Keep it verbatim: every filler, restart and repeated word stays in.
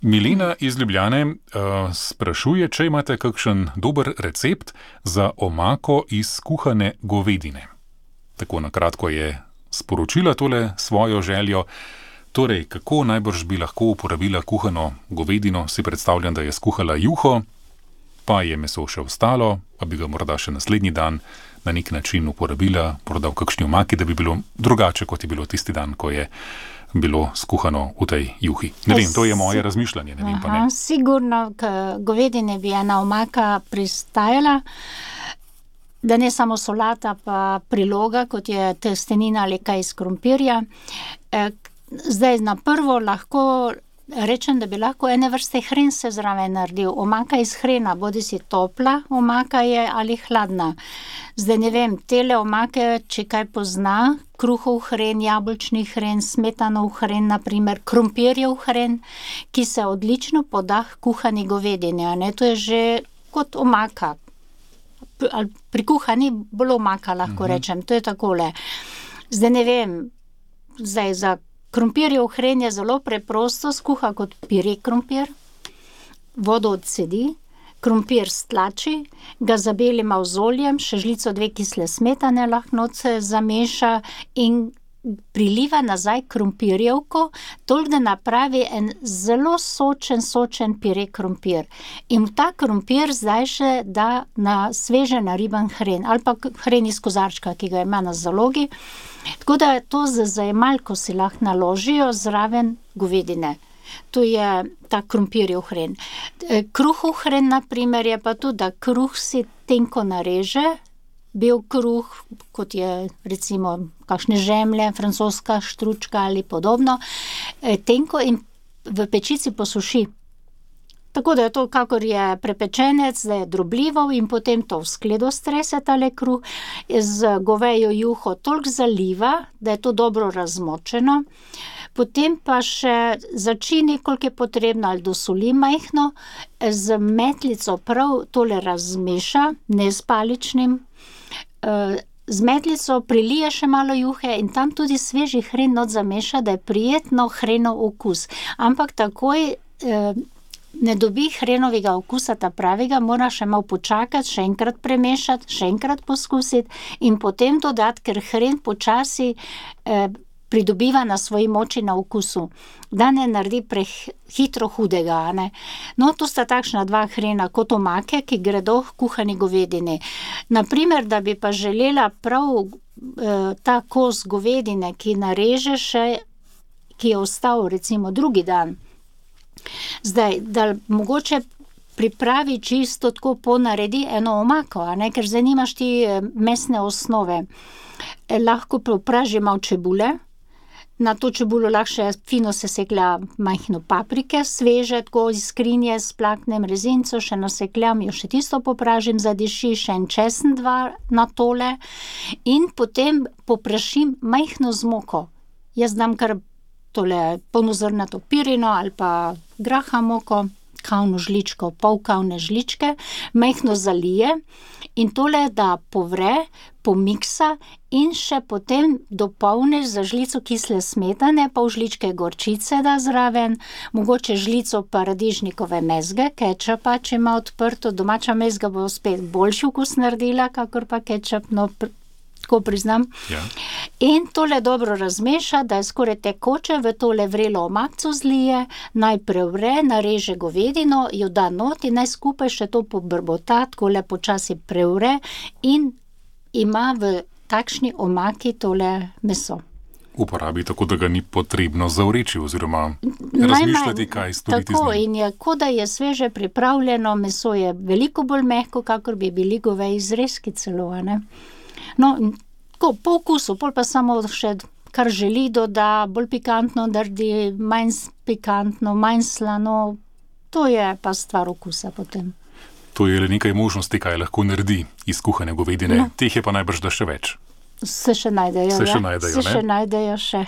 Milena iz Ljubljane uh, sprašuje, če imate kakšen dober recept za omako iz kuhane govedine. Tako na kratko je sporočila tole svojo željo. Torej, kako najbrž bi lahko uporabila kuhano govedino? Si predstavljam, da je skuhala juho, pa je meso še ostalo, pa bi ga morda še naslednji dan na nek način uporabila, morda v kakšni omaki, da bi bilo drugače, kot je bilo tisti dan, ko je bilo skuhano v tej juhi. Ne vem, to je moje razmišljanje, ne vem pa ne. Aha, sigurno, k govedine bi ena omaka pristajala, da ne samo solata, pa priloga, kot je testenina ali kaj iz krompirja. Zdaj na prvo lahko rečem, da bi lahko ene vrste hren se zraven naredil. Omaka iz hrena, bodi si topla omaka je ali hladna. Zdaj ne vem, tele omake, če kaj pozna, kruhov hren, jabolčni hren, smetanov hren, naprimer krompirjev hren, ki se odlično poda kuhani govedini, a ne, to je že kot omaka. Pri kuhani bolj omaka, lahko uh-huh. rečem, to je takole. Zdaj ne vem, zdaj za krompirjev hren je zelo preprosto, skuha kot pire krompir, vodo odsedi, krompir stlači, ga zabelima z oljem, še žlico dve kisle smetane lahko noce zameša in priliva nazaj krompirjevko, toliko da napravi en zelo sočen, sočen pire krompir. In v ta krompir zdaj še da na sveže nariban hren, ali pa hren iz kozarčka, ki ga ima na zalogi. Tako da to z zajemalko si lahko naložijo zraven govedine. To je ta krompirjev hren. Kruhov hren, naprimer, je pa tudi, da kruh si tenko nareže, bel kruh, kot je recimo kakšne žemlje, francoska štručka ali podobno, tenko in v pečici posuši. Tako da je to, kakor je prepečenec, da je drobljivo in potem to v skledo strese tale kruh, z govejo juho toliko zaliva, da je to dobro razmočeno. Potem pa še začini, koliko je potrebno, ali dosoli majhno, z metlico prav tole razmeša, ne s paličnim, z metlico prilije še malo juhe in tam tudi sveži hren not zameša, da je prijetno hrenov okus. Ampak takoj ne dobi hrenovega okusa ta pravega, mora še malo počakati, še enkrat premešati, še enkrat poskusiti in potem dodati, ker hren počasi pridobiva na svoji moči na okusu, da ne naredi prehitro hudega, ne. No, to sta takšna dva hrena kot omake, ki gredo v kuhani govedini. Naprimer, da bi pa želela prav eh, ta kos govedine, ki nareže še, ki je ostal recimo drugi dan. Zdaj, da mogoče pripravi čisto tako ponaredi eno omako, a ne, ker zdaj nimaš ti mesne osnove. Eh, lahko popraži malo čebule, na to čebulo lahko še fino sesekla majhno paprike, sveže, tako iz skrinje, splaknem rezinco, še nasekljam, jo še tisto popražim, zadiši, še en česen dva na tole in potem poprašim majhno z moko. Jaz dam kar tole polnozrnato pirino ali pa graha moko, kavno žličko, pol kavne žličke, majhno zalije in tole da povre, pomiksa in še potem dopolniš za žlico kisle smetane, pol žličke gorčice da zraven, mogoče žlico paradižnikove mezge, kečapa, če ima odprto, domača mezga bo spet boljši okus naredila, kakor pa kečap, no, pr- tako priznam. Ja. In tole dobro razmeša, da je skoraj tekoče, v tole vrelo omakco zlije, naj prevre, nareže govedino, jo da not in naj skupaj še to pobrbota, tako le počasi prevre in ima v takšni omaki tole meso. Uporabi tako, da ga ni potrebno zavreči oziroma razmišljati, kaj storiti tako, z njim. In je, kot da je sveže pripravljeno, meso je veliko bolj mehko, kakor bi bili goveji zrezki celo, a ne. No, tako, po okusu, pol pa samo še kar želi doda, bolj pikantno naredi, manj pikantno, manj slano, to je pa stvar okusa potem. To je le nekaj možnosti, kaj lahko naredi iz kuhane govedine. No. Teh je pa najbrž da še več. Se še najdejo, Se še ja. najdejo, Se ne? še najdejo še.